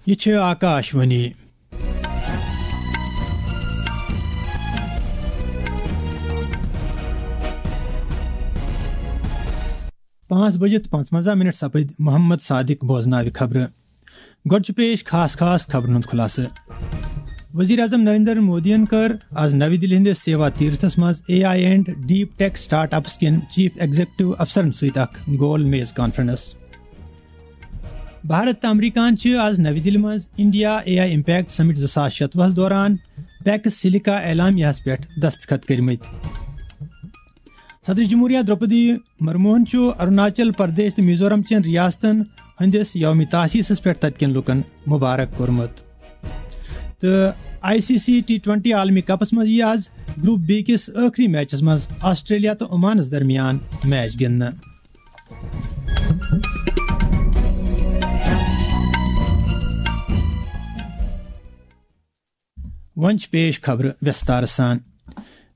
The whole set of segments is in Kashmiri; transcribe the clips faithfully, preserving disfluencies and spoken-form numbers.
یہِ چھِ آکاش وانی۔ پانٛژھ بجِتھ پانٛژوَنٛزاہ منٹ سپٕدۍ محمد صادق بوزناوِ خبرٕ۔ گۄڈٕ چھُ پیش خاص خاص خبرن ہُنٛد خلاصہٕ۔ وزیر اعظم نریندر مودیَن کٔر آز نَوِ دِلہِ ہٕنٛدِس سیوا تیرتھس منٛز A I and deep take start ups کٮ۪ن چیف ایگزیکٹو افسرن سۭتۍ اکھ گول میز کانفرنس۔ بھارت تہٕ امریکہن چھِ آز نَوِ دِلہِ منٛز انڈیا اے آئی امپیکٹ سمٹ زٕ ساس شتوُہس دوران پیکس سلیکا اعلامیہس پٮ۪ٹھ دستخط کٔرمٕتۍ۔ صدر جمہوریہ درٛوپدی مرموہن چھُ اروناچل پردیش تہٕ میزورم چٮ۪ن ریاستن ہٕنٛدِس یوم تاسیسس پٮ۪ٹھ تتہِ کٮ۪ن لوٗکن مبارک کوٚرمُت۔ تہٕ I C C T twenty عالمی کپس منٛز یِیہِ آز گروپ بی کِس ٲخری میچس منٛز آسٹریلیا تہٕ عمانس درمیان میچ گِنٛدنہٕ۔ وۄنۍ چھِ پیش خبرٕ وِستارٕ سان۔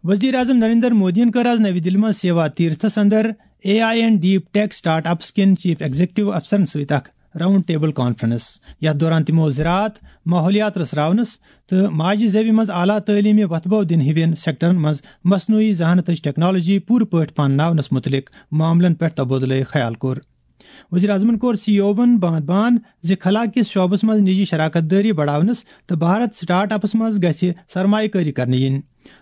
وزیر اعظم نریندر مودیَن کٔر آز نَوِ دِلہِ منٛز سیوا تیرتھس اندر A I and deep take start ups کٮ۪ن چیف ایگزیکٹو افسرن سۭتۍ اکھ راؤنڈ ٹیبل کانفرنس، یتھ دوران تِمو زراعت، ماحولیات رژھراونس تہٕ ماجہِ زیوِ منٛز اعلیٰ تعلیمی وتھبو دِنہٕ ہِوٮ۪ن سیکٹرن منٛز مصنوعی ذہانتٕچ ٹیکنالوجی پوٗرٕ پٲٹھۍ پانناونس مُتعلق معاملن پٮ۪ٹھ تبادلہٕ خیال کوٚر۔ وزیر اعظمن کوٚر سی ای اوون باند باند زِ خلا کِس شعبس منٛز نجی شراکت دٲری بڑاونس تہٕ بھارت سٹارٹ اپس منٛز گژھِ سرمایہ کٲری کرنہٕ یِنۍ۔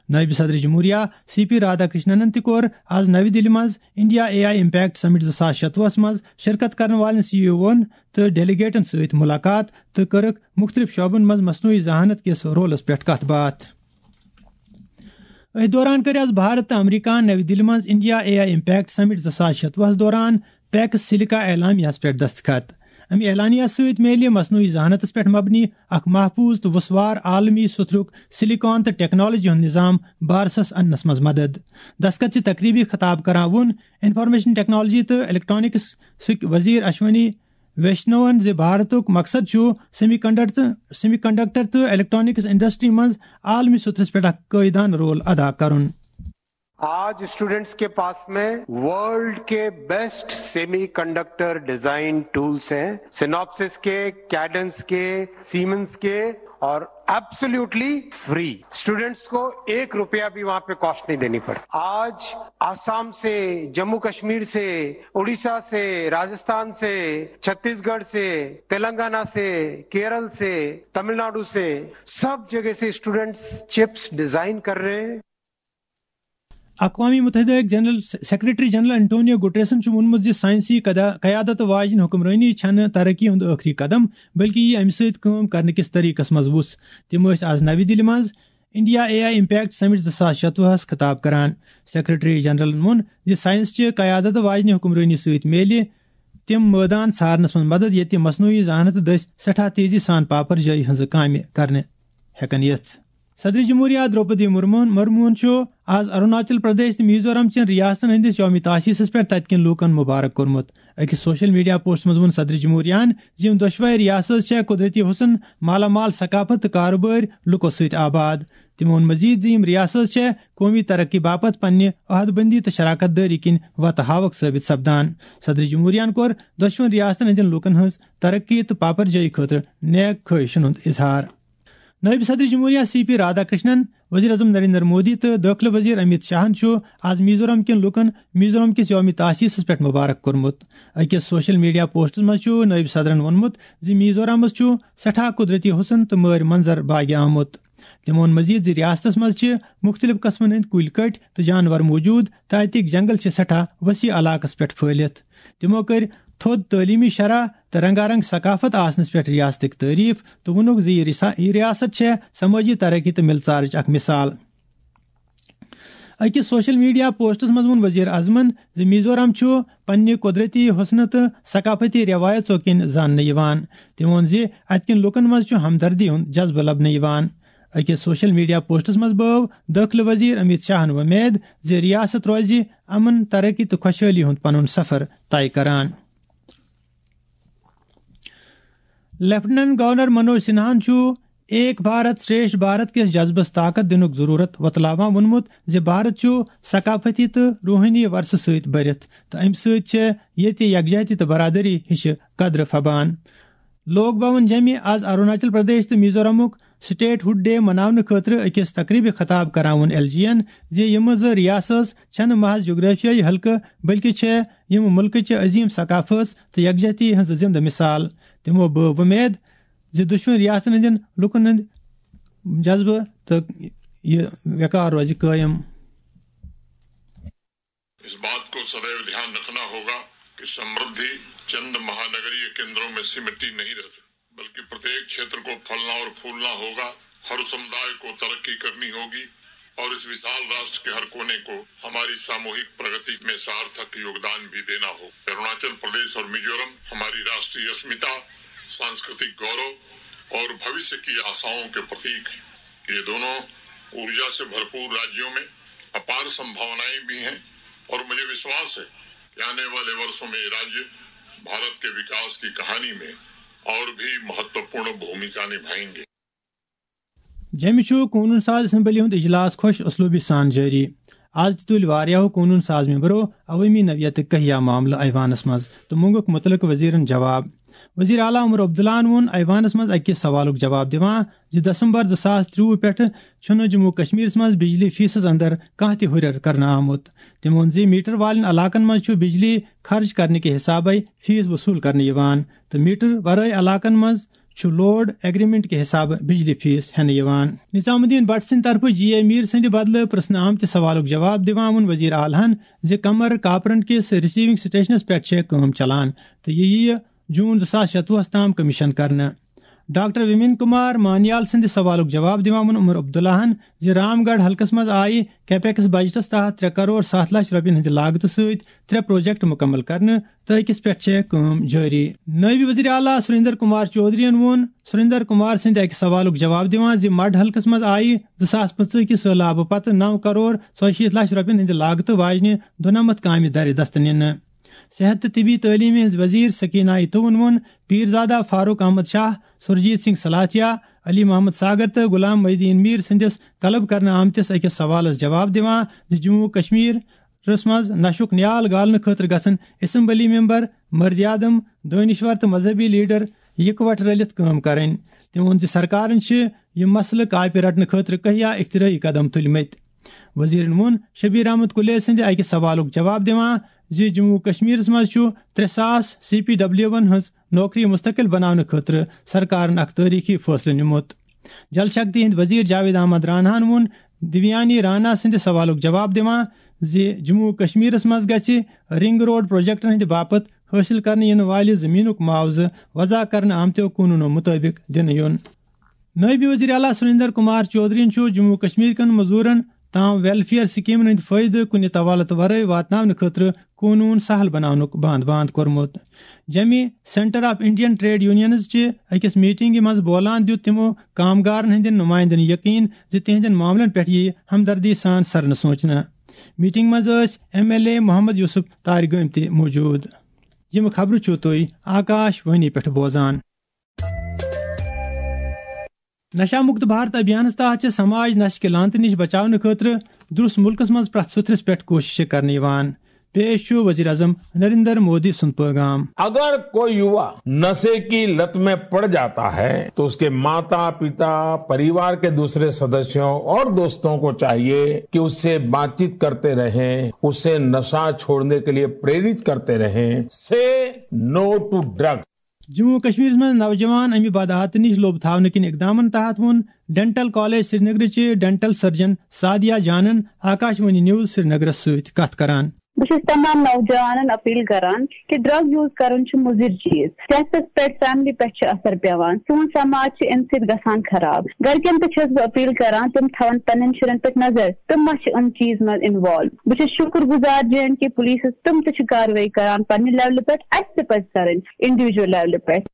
نٲیِب صدر جمہوریہ سی پی رادھا کرشننن تہِ کوٚر آز نَوِ دِلہِ منٛز انڈیا اے آئی امپیکٹ سمٹ زٕ ساس شتوُہس منٛز شرکت کرن والٮ۪ن سی ای اوون تہٕ ڈیلیگیٹن سۭتۍ ملاقات تہٕ کٔرٕکھ مُختٔلِف شعبن منٛز مصنوعی ذہانت کِس رولس پٮ۪ٹھ کتھ باتھ۔ أتھۍ دوران کٔر آز بھارت تہٕ امریکہن نَوِ دِلہِ منٛز انڈیا اے آئی امپیکٹ سمٹ زٕ ساس شتوُہس دوران پیکس سلیکا اعلامیہس پٮ۪ٹھ دستخط۔ اَمہِ اعلامیہ سۭتۍ میلہِ مصنوعی ذہانتس پٮ۪ٹھ مبنی اکھ محفوظ تہٕ وُسوار عالمی سُتھرُک سلیکان تہٕ ٹیکنالوجی ہُنٛد نظام بارسس اننس منٛز مدد۔ دستخط چہِ تقریبہِ خطاب کران ووٚن انفارمیشن ٹیکنالوجی تہٕ الیکٹرانکس سٕکۍ وزیر اشونی ویشنون زِ بھارتُک مقصد چھُ سیمی کنڈکٹر، سیمی کنڈکٹر تہٕ الیکٹرانکس انڈسٹری منٛز عالمی سطحس پٮ۪ٹھ اکھ قٲیدانہٕ رول ادا کرُن۔ آج اسٹوڈنٹس کے پاس میں ورلڈ کے best semiconductor design tools ہیں، سیناپسس کے، کیڈنس کے، سیمنس کے، اور ایبسلیوٹلی فری۔ اسٹوڈنٹس کو ایک روپیہ بھی وہاں پہ کاسٹ نہیں دینی پڑتی۔ آج آسام سے، جموں کشمیر سے، اڑیسہ سے، راجستھان سے، چھتیس گڑھ سے، تلنگانہ سے، کیرل سے، تمل ناڈو سے، سب جگہ سے اسٹوڈنٹس چپس ڈیزائن کر رہے ہیں۔ اقوام متحدہ جنرل سیکرٹری جنرل انٹونیو گٹریسن چھُ ووٚنمُت زِ سائنسی قدا-، قیادت واجنہِ حکمرٲنی چھنہٕ ترقی ہُنٛد ٲخری قدم، بلکہِ یہِ امہِ سۭتۍ کٲم کرنہٕ کِس طریقس منٛز وُژھ۔ تِم ٲسۍ آز نَوِ دِلہِ منٛز انڈیا اے آئی امپیکٹ سمٹ زٕ ساس شتوُہس خطاب کران۔ سیکرٹری جنرلن ووٚن زِ سائنس چہِ قیادت واجنہِ حکمرٲنی سۭتۍ میلہِ تِم مٲدان ژھارنس منٛز مدد، ییٚتہِ مصنوعی ذہانت دٔسۍ سٮ۪ٹھاہ تیزی سان پاپر جٲیی ہٕنٛزٕ کامہِ کرنہٕ ہٮ۪کن یِتھ۔ صدر جمہوریہ درٛوپدی مرمون، مرمون چھُ آز اروناچل پردیش تہٕ میزورم چٮ۪ن ریاستن ہٕنٛدِس یوم تاسیسس پٮ۪ٹھ تتہِ کٮ۪ن لوٗکن مبارک کوٚرمُت۔ أکِس سوشل میڈیا پوسٹس منٛز ووٚن صدر جمہوریہن زِ یِم دۄشوے ریاستہٕ چھےٚ قدرتی حسن، مالا مال ثقافت تہٕ کارٕبٲرۍ لُکو سۭتۍ آباد۔ تٔمۍ ووٚن مزید زِ یِم ریاستہٕ چھےٚ قومی ترقی باپتھ پننہِ عہد بندی تہٕ شراکت دٲری کِنۍ وتہٕ ہاوکھ ثٲبت سپدان۔ صدر جمہوریہن کوٚر دۄشوٕنۍ ریاستن ہٕنٛدٮ۪ن لوٗکن ہٕنٛز ترقی تہٕ پاپر جٲیی خٲطرٕ نیک خواہشن ہُنٛد اظہار۔ نٲیِب صدر جمہوریہ سی پی رادھا کرشنن، وزیر اعظم نریندر مودی تہٕ دٲخلہٕ وزیر امیت شاہن چھُ آز میزورم کٮ۪ن لوٗکن میزورم کِس یوم تاسیسس پٮ۪ٹھ مبارک کوٚرمُت۔ أکِس سوشل میڈیا پوسٹس منٛز چھُ نٲیِب صدرن ووٚنمُت زِ میزورمس چھُ سٮ۪ٹھاہ قدرتی حسن تہٕ مٲرۍ منظر باگہِ آمُت۔ تٔمۍ ووٚن مزید زِ ریاستس منٛز چھِ مُختٔلِف قٕسمن ہٕنٛدۍ کُلۍ کٔٹۍ تہٕ جانور موجود تہٕ اتِکۍ جنگل چھِ سٮ۪ٹھاہ وسیع علاقس پٮ۪ٹھ پھٲلِتھ۔ تِمو کٔرۍ تھوٚد تعلیمی شرح تہٕ رنگا رنگ ثقافت آسنس پٮ۪ٹھ ریاستٕکۍ تعریف تہٕ ووٚنُکھ زِ یہِ رسا-، یہِ ریاست چھےٚ سمٲجی ترقی تہٕ مِلژارٕچ اکھ مثال۔ أکِس سوشل میڈیا پوسٹس منٛز ووٚن وزیر اعظمن زِ میزورم چھُ پننہِ قدرتی حسنہٕ تہٕ ثقافتی رٮ۪وایژو کِنۍ زاننہٕ یِوان۔ تٔمۍ ووٚن زِ اتہِ کٮ۪ن لوٗکن منٛز چھُ ہمدردی ہُنٛد جذبہٕ لبنہٕ یِوان۔ أکِس سوشل میڈیا پوسٹس منٛز بٲو دٲخلہٕ وزیر امیت شاہن وۄمید زِ ریاست روزِ امن، ترقی تہٕ خۄشحٲلی ہُنٛد پنُن سفر طے کران۔ لیفٹیننٹ گورنر منوج سنہاہن چھُ ایک بھارت شریشٹھ بھارت کِس جذبس طاقت دِنُک ضروٗرت وۄتلاوان ووٚنمُت زِ بھارت چھُ ثقافتی تہٕ روحٲنی ورثہٕ سۭتۍ بٔرِتھ تہٕ امہِ سۭتۍ چھےٚ ییٚتہِ یکجہتی تہٕ برادری ہِشہِ قدرٕ پھبان۔ لوک بھون جیمہِ آز اروناچل پردیش تہٕ میزورامُک سٹیٹ ہُڈ ڈے مناونہٕ خٲطرٕ أکِس تقریبہِ خطاب کران ووٚن ایل جی یَن زِ یِم زٕ ریاستہٕ چھَنہٕ محض جغرافیٲیی حلقہٕ، بلکہِ چھِ یِم مُلکٕچہِ عظیٖم ثقافت تہٕ یکجہتی ہٕنٛز زِنٛدٕ مثال۔ تِمو بٲو وۄمید زِ دۄشوٕنی ریاستن ہٕنٛدٮ۪ن لوٗکن ہُنٛد جذبہٕ تہٕ یہِ وقار روزِ قٲیِم۔ इस बात को सदैव ध्यान रखना होगा कि समृद्धि चंद महानगरीय केंद्रों में सीमित नहीं रह सकती, बल्कि प्रत्येक क्षेत्र को फलना और फूलना होगा। हर समुदाय को तरक्की करनी होगी और इस विशाल राष्ट्र के हर कोने को हमारी सामूहिक प्रगति में सार्थक योगदान भी देना हो। अरुणाचल प्रदेश और मिजोरम हमारी राष्ट्रीय अस्मिता, सांस्कृतिक गौरव और भविष्य की आशाओं के प्रतीक हैं। ये दोनों ऊर्जा से भरपूर राज्यों में अपार संभावनाएं भी हैं और मुझे विश्वास है कि आने वाले वर्षों में ये राज्य भारत के विकास की कहानी में और भी महत्वपूर्ण भूमिका निभाएंगे। جیٚمہِ چھُ قونوٗن ساز اسمبلی ہُنٛد اجلاس خۄش اسلوبی سان جٲری۔ آز تہِ تُلۍ واریاہو قونوٗن ساز ممبرو عوٲمی نوعیتٕکۍ کہیا معاملہٕ ایوانس منٛز تہٕ مونٛگُکھ مُتعلقہٕ وزیرن جواب۔ وزیر اعلیٰ عمر عبداللہن ووٚن ایوانس منٛز أکِس سوالُک جواب دِوان زِ دسمبر زٕ ساس ترٛۆوُہ پٮ۪ٹھٕ چھُنہٕ جموں و کشمیرس منٛز بجلی فیسس اندر کانٛہہ تہِ ہُرٮ۪ر کرنہٕ آمُت۔ تٔمۍ ووٚن زِ میٹر والٮ۪ن علاقن منٛز چھُ بجلی خرٕچ کرنہٕ کہِ حسابے فیس وصوٗل کرنہٕ یِوان تہٕ میٹر ورٲے علاقن منٛز چھُ لوڈ ایگریمنٹ کہِ حسابہٕ بجلی فیس ہٮ۪نہٕ یِوان۔ نظام الدین بٹ سٕنٛدِ طرفہٕ جی اے میٖر سٕنٛدِ بدلہٕ پرژھنہٕ آمتہِ سوالُک جواب دِوان ووٚن وزیر اعلیٰ ہن زِ کمر کاپرن کِس ریسیونگ سٹیشنس پٮ۪ٹھ چھےٚ کٲم چلان تہٕ یہِ یِیہِ جون زٕ ساس شتوُہس تام کمیشن کرنہٕ۔ ڈاکٹر ومین کمار مانیال سٕنٛدِ سوالُک جواب دِوان ووٚن عمر عبداللہن زِ رام گڑھ حلقس منٛز آیہِ کیپیکس بجٹس تحت ترٛےٚ کرور ستھ لچھ رۄپین ہٕنٛدِ لاگتہٕ سۭتۍ ترٛےٚ پروجیکٹ مُکمل کرنہٕ تہٕ أکِس پٮ۪ٹھ چھےٚ کٲم جٲری۔ نٲیِب وزیر اعلیٰ سریندر کمار چودھرین ووٚن سریندر کمار سٕنٛدِ اَکہِ سوالُک جواب دِوان زِ مڈ حلقس منٛز آیہِ زٕ ساس پٕنٛژٕہ کہِ سٔہلابہٕ پتہٕ نَو کرور ژۄیہِ شیٖتھ لچھ رۄپین ہٕنٛدِ لاگتہٕ واجنہِ دُنمتھ کامہِ درِ دست نِنہٕ۔ صحت تہٕ طبی تعلیمہِ ہٕنٛز وزیر سکینہ اتوون ووٚن پیرزادہ فاروق احمد شاہ، سرجیت سنگھ سلاتھیا، علی محمد ساگر تہٕ غلام محی الدین میر سٕنٛدِس طلب کرنہٕ آمتِس أکِس سوالس جواب دِوان زِ جموں و کشمیرس منٛز نشُک نیال گالنہٕ خٲطرٕ گژھن اسمبلی ممبر، مردِ اعظم، دٲنشور تہٕ مذہبی لیڈر یکوٹہٕ رٔلِتھ کٲم کرٕنۍ۔ تٔمۍ ووٚن زِ سرکارن چھِ یہِ مسلہٕ کاپہِ رٹنہٕ خٲطرٕ کہیا اختراعی قدم تُلمٕتۍ۔ وزیرن ووٚن شبیر احمد کلے سٕنٛدِ اکہِ سوالُک جواب دِوان زِ جموں و کشمیرس منٛز چھُ ترٛےٚ ساس سی پی ڈبلیو ون ہٕنٛز نوکری مستقل بناونہٕ خٲطرٕ سرکارن اکھ تٲریخی فٲصلہٕ نیومُت۔ جل شکتی ہٕنٛدۍ وزیر جاوید احمد راناہن ووٚن دیویانی رانا سٕنٛدِ سوالُک جواب دِوان زِ جموں و کشمیرس منٛز گژھِ رنگ روڈ پروجیکٹن ہٕنٛدِ باپتھ حٲصِل کرنہٕ یِنہٕ والہِ زٔمیٖنُک معاوضہٕ وضع کرنہٕ آمتیو قونوٗنو مُطٲبِق دِنہٕ یُن۔ نٲیِب وزیر اعلیٰ سریندر کمار چودھرین چھُ جموں و کشمیر کٮ۪ن مزوٗرن تام ویلفیئر سکیمن ہٕنٛدۍ فٲیدٕ کُنہِ طوالت ورٲے واتناونہٕ خٲطرٕ قونوٗن سہل بناونُک باند باند کوٚرمُت۔ جیٚمہِ Centre of Indian Trade Unions چہِ أکِس میٹنگہِ منٛز بولان دیُت تِمو کامگارن ہٕنٛدٮ۪ن نُمایندن یقین زِ تِہنٛدٮ۪ن معاملن پٮ۪ٹھ یِیہِ ہمدردی سان سرنہٕ سونچنہٕ۔ میٹنگ منٛز ٲسۍ M L A Mohammad Yousuf Tarigami تہِ موجود۔ یِم خبرٕ چھِو تُہۍ آکاش وانی پٮ۪ٹھ بوزان۔ نشہ مکت بھارت ابھیانس تحت چھِ سماج نشہٕ کہِ لعنتہٕ نِش بچاونہٕ خٲطرٕ درست ملکس منٛز پرٛٮ۪تھ سُتھرِس پٮ۪ٹھ کوٗششہٕ کرنہٕ یِوان۔ پیش چھُ وزیر اعظم نریندر مودی سُنٛد پیغام۔ अगर कोई युवा नशे की लत में पड़ जाता है तो उसके माता, पिता, परिवार के दूसरे सदस्यों और दोस्तों को चाहिए कि उससे बातचीत करते रहें, उसे नशा छोड़ने के लिए प्रेरित करते रहें। Say no to drugs. Jammu و کشمیرس منٛز نوجوان امہِ بد عادتہٕ نِش لوٚب تھاونہٕ کِنۍ اقدامن تحت ووٚن ڈینٹل کالج سرینگرٕچہِ ڈینٹل سرجن سعدیہ جانن آکاشوانی نیوز سرینگرس سۭتۍ کتھ کران۔ بہٕ چھَس تمام نوجوانن اپیل کران کہِ ڈرگ یوز کرُن چھُ مُضر چیز۔ صحتس پٮ۪ٹھ، فیملی پٮ۪ٹھ چھُ اثر پٮ۪وان۔ سون سماج چھُ امہِ سۭتۍ گژھان خراب۔ گرِکٮ۪ن تہِ چھَس بہٕ اپیل کران تِم تھاون پننٮ۪ن شُرٮ۪ن پٮ۪ٹھ نظر، تِم ما چھِ امہِ چیز منٛز انوالو۔ بہٕ چھَس شُکر گُزار جے اینڈ کے پولیسس، تِم تہِ چھِ کاروٲیی کران پننہِ لیولہِ پٮ۪ٹھ، اسہِ تہِ پزِ کرٕنۍ انڈیویجول لیولہِ پٮ۪ٹھ۔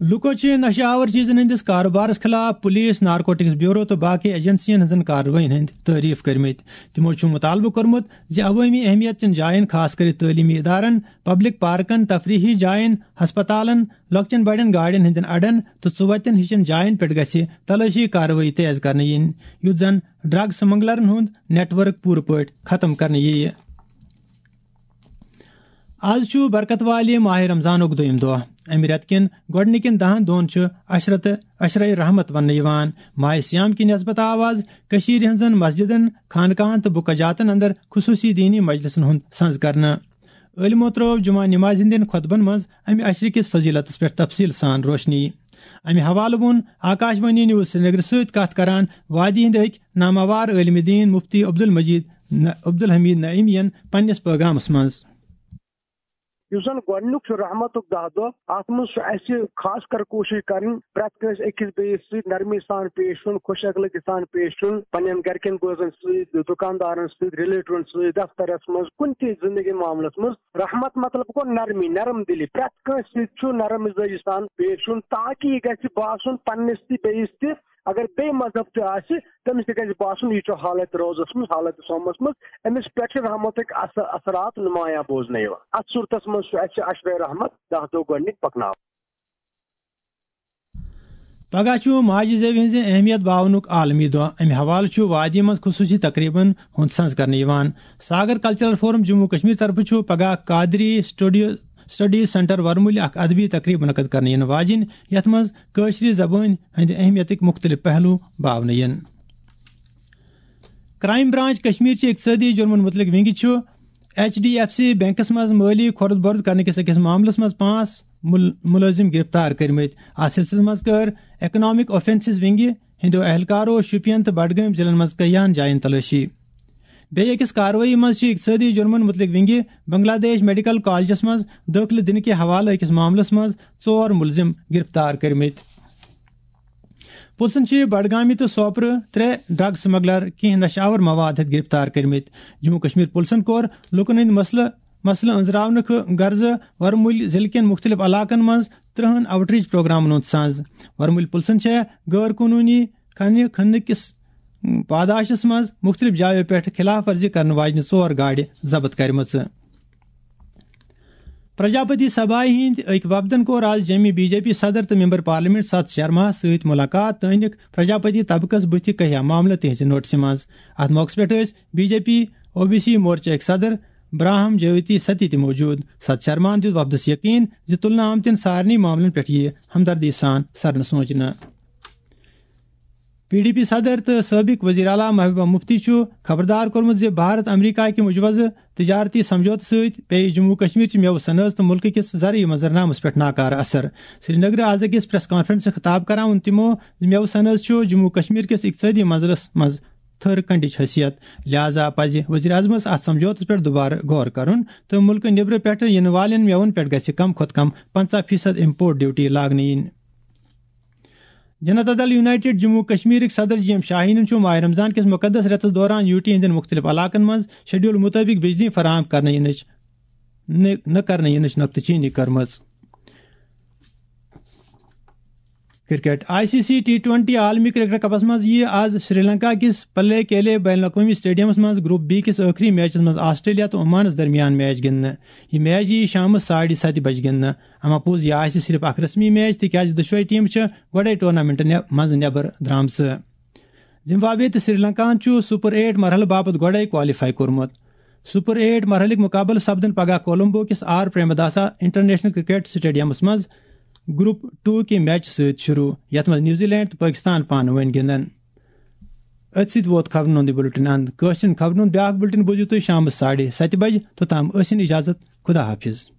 لوٗکو چھِ نشہٕ آور چیزن ہٕنٛدِس کارٕبارس خٕلاف پُلیٖس، نارکوٹکس بیورو تہٕ باقٕے ایجنسین ہٕنٛزن کاروٲیین ہٕنٛدۍ تعریف کٔرمٕتۍ۔ تِمو چھُ مُطالبہٕ کوٚرمُت زِ عوٲمی اہمیت چٮ۪ن جاین، خاص کٔرِتھ تعلیمی ادارن، پبلک پارکن، تفریحی جاین، ہسپتالن، لۄکچٮ۪ن بڑٮ۪ن گاڑٮ۪ن ہٕنٛدٮ۪ن اڈن تہٕ ژُوتٮ۪ن ہِشن جاین پٮ۪ٹھ گژھِ تلٲشی کاروٲیی تیز کرنہٕ یِنۍ، یُتھ زن ڈرگ سمگلرن ہُنٛد نیٹ ورک پوٗرٕ پٲٹھۍ ختم کرنہٕ یِیہِ۔ آز چھُ برکت والہِ ماہِ رمضانُک دوٚیِم دۄہ۔ اَمہِ رٮ۪تہٕ کٮ۪ن گۄڈٕنِکٮ۪ن دَہَن دۄہَن چھُ عشرت، عشرے رحمت وننہٕ یِوان۔ ماہِ صیام کہِ نسبت آو آز کٔشیٖرِ ہٕنٛزن مسجدن، خانقاہن تہٕ بُکہ جاتن اندر خصوٗصی دیٖنی مجلسن ہُنٛد سنز کرنہٕ۔ عٲلمو ترٲو جمعہ نمازِ ہٕنٛدٮ۪ن خطبن منٛز اَمہِ عشرٕ کِس فضیلتس پٮ۪ٹھ تفصیٖل سان روشنی۔ اَمہِ حوالہٕ ووٚن آکاش وانی نیوز سرینگرٕ سۭتۍ کتھ کران وادی ہٕنٛدۍ أکۍ ناماوار عٲلمِ دیٖن مفتی عبدالمجید ن-، عبدالحمید نعیمی ین پننِس پٲغامس منٛز۔ یُس زن گۄڈٕنیُک چھُ رحمتُک دَہ دۄہ، اتھ منٛز چھُ اسہِ خاص کر کوٗشِش کرٕنۍ پرٛٮ۪تھ کٲنٛسہِ أکِس بیٚیِس سۭتۍ نرمی سان پیش یُن، خۄش اخلٲقی سان پیش یُن، پننٮ۪ن گرِکٮ۪ن بٲژن سۭتۍ، دُکاندارن سۭتۍ، ریلیٹیون سۭتۍ، دفترس منٛز، کُنہِ تہِ زندگی معاملس منٛز۔ رحمت مطلب گوٚو نرمی، نرم دلی، پرٛٮ۪تھ کٲنٛسہِ سۭتۍ چھُ نرم مزاجی سان پیش یُن، تاکہِ یہِ گژھِ باسُن پننِس تہِ بیٚیِس تہِ، اگر بیٚیہِ مذہب تہِ آسہِ، تٔمِس تہِ گژھِ باسُن، یہِ چھُ حالت روزس منٛز، حالت صومس منٛز، أمِس پٮ۪ٹھ چھِ رحمتٕکۍ اث-، اثرات نمایاں بوزنہٕ یِوان۔ اتھ صورتس منٛز چھُ اسہِ عشرے رحمت دَہ دۄہ گۄڈٕنِکۍ پکناوٕنۍ۔ پگاہ چھُ ماجہِ زیوِ ہٕنٛزِ اہمیت باونُک عالمی دۄہ۔ امہِ حوالہٕ چھُ وادی منٛز خصوٗصی تقریبن ہُنٛد سنز کرنہٕ یِوان۔ ساگر کلچرل فورم جموں کشمیر طرفہٕ چھُ پگاہ قادری سٹوڈیو، سٹڈیز سینٹر ورمُلہِ اکھ ادبی تقریب منعقد کرنہٕ یِنہٕ واجِنۍ، یتھ منٛز کٲشرِ زبٲنۍ ہٕنٛدِ اہمیتٕکۍ مُختٔلِف پہلو باونہٕ یِن۔ کرائم برانچ کشمیر چہِ اقتصٲدی جُرمن مُتعلق ونگہِ چھُ H D F C banks منٛز مٲلی کھۄرد بۄرد کرنہٕ کِس أکِس معاملس منٛز پانٛژھ مُل-، مُلٲزِم گِرفتار کٔرمٕتۍ۔ اتھ سلسلس منٛز کٔر اکنامک اوفینسز ونگہِ ہٕنٛدیو اہلکارو شوپین تہٕ بڈگٲمۍ ضلعن منٛز کیاہن جاین تلٲشی۔ بیٚیہِ أکِس کاروٲیی منٛز چھِ اقتصٲدی جُرمن مُتعلق ونگہِ بنگلہ دیش میڈیکل کالجس منٛز دٲخلہٕ دِنہٕ کہِ حوالہٕ أکِس معاملس منٛز ژور مُلزِم گِرفتار کٔرمٕتۍ۔ پُلسن چھِ بڈگامہِ تہٕ سوپرٕ ترٛےٚ ڈرگ سمگلر کینٛہہ نشہٕ آور مواد ہٮ۪تھ گِرفتار کٔرمٕتۍ۔ جموں کشمیر پُلسن کوٚر لوٗکن ہٕنٛدۍ مسلہٕ، مسلہٕ أنٛزراونہٕ خٲ-، غرضہٕ ورمُلۍ ضلعہٕ کٮ۪ن مُختٔلِف علاقن منٛز ترٛہن آوٹ ریٖچ پروگرامن ہُنٛد سنٛز۔ ورمُلۍ پُلسن چھےٚ غٲر قونوٗنی کھنہِ کھننہٕ کِس پاداشس منٛز مُختٔلِف جایو پٮ۪ٹھ خلاف ورزی کرن واجنہِ ژور گاڑِ ضبط کرِمژٕ۔ پرجاپتی سبھایہِ ہٕنٛدۍ أکۍ وفدن کوٚر آز جیٚمہِ بی جے پی صدر تہٕ ممبر پارلیمنٹ ستھ شرماہس سۭتۍ مُلاقات تہٕ أنِکھ پرجاپتی طبقس بُتھِ کیاہ معاملہٕ تِہنٛزِ نوٹسہِ منٛز۔ اتھ موقعس پٮ۪ٹھ ٲسۍ B J P O B C مورچہٕ أکۍ صدر براہم جیوتی ستی تہِ موجود۔ ستھ شرماہن دیُت وفدس یقین زِ تُلنہٕ آمتٮ۪ن سارنٕے معاملن پٮ۪ٹھ یِیہِ ہمدردی سان سرنہٕ سونچنہٕ۔ پی ڈی پی صدر تہٕ سٲبق وزیر اعلیٰ محبوبہ مفتی چھُ خبردار کوٚرمُت زِ بھارت امریکہ کہِ مجوزٕ تجارتی سمجھوتہٕ سۭتۍ پیٚیہِ جموں کشمیر چہِ مٮ۪وٕ صنعت تہٕ مُلکہٕ کِس زرعی منظرنامس پٮ۪ٹھ ناکارٕ اثر۔ سری نگر آز أکِس پریس کانفرنسس خطاب کران ووٚن تِمو زِ مٮ۪وٕ صنعت چھُ جموں کشمیر کِس اقتصٲدی منظرس منٛز تھٔر کنڈٕچ حیثیت، لہذا پزِ وزیر اعظمس اتھ سمجھوتس پٮ۪ٹھ دُبارٕ غور کرُن تہٕ مُلکہٕ نیبرٕ پٮ۪ٹھٕ یِنہٕ والٮ۪ن مٮ۪وَن پٮ۪ٹھ گژھِ کم کھۄتہٕ کم پنژاہ فیصد امپورٹ ڈیوٹی لاگنہٕ یِنۍ۔ جنتا دل یونائیٹڈ جموں کشمیرٕکۍ صدر جی ایم شاہینن چھُ ماہ رمضان کِس مقدس رٮ۪تس دوران یوٗ ٹی ہٕنٛدٮ۪ن مُختٔلِف علاقن منٛز شیڈول مُطٲبِق بجلی فراہم کرنہٕ یِنٕچ نہٕ، نہٕ کرنہٕ یِنٕچ نۄقطہٕ چینی کٔرمٕژ۔ Cricket. I C C T twenty عالمی کرکٹ کپس منٛز یِیہِ آز سری لنکا کِس پلے کیلے بین الاقوٲمی سٹیڈیمس منٛز گروپ بی کِس ٲخری میچس منٛز آسٹریلیا تہٕ عمانس درمیان میچ گِنٛدنہٕ۔ یہِ میچ یِیہِ شامس ساڑِ ستہِ بجہِ گِنٛدنہٕ۔ اما پوٚز، یہِ آسہِ صرف اکھ رسمی میچ، تِکیازِ دۄشوے ٹیمہٕ چھِ گۄڈے ٹورنامنٹ نٮ۪-، منٛزٕ نٮ۪بر درامژٕ۔ زمبابوے تہٕ سری لنکاہن چھُ سپر ایٹ مرحلہٕ باپتھ گۄڈے کوالیفائی کوٚرمُت۔ سپر ایٹ مرحلٕکۍ مُقابلہٕ سپدن پگاہ کولمبو کِس آر پریمداسا انٹرنیشنل کرکٹ سٹیڈیمس منٛز گروپ ٹو کہِ میچ سۭتۍ شروع، یتھ منٛز نیوزی لینڈ تہٕ پٲکستان پانہٕ وٲنۍ گِنٛدن۔ أتھۍ سۭتۍ ووت خبرن ہُنٛد یہِ بُلٹن اند۔ کٲشرٮ۪ن خبرن ہُنٛد بیٛاکھ بُلٹن بوٗزِو تُہۍ شامس ساڑے ستہِ بجہِ۔ توٚتام ٲسِن اجازت۔ خدا حافظ۔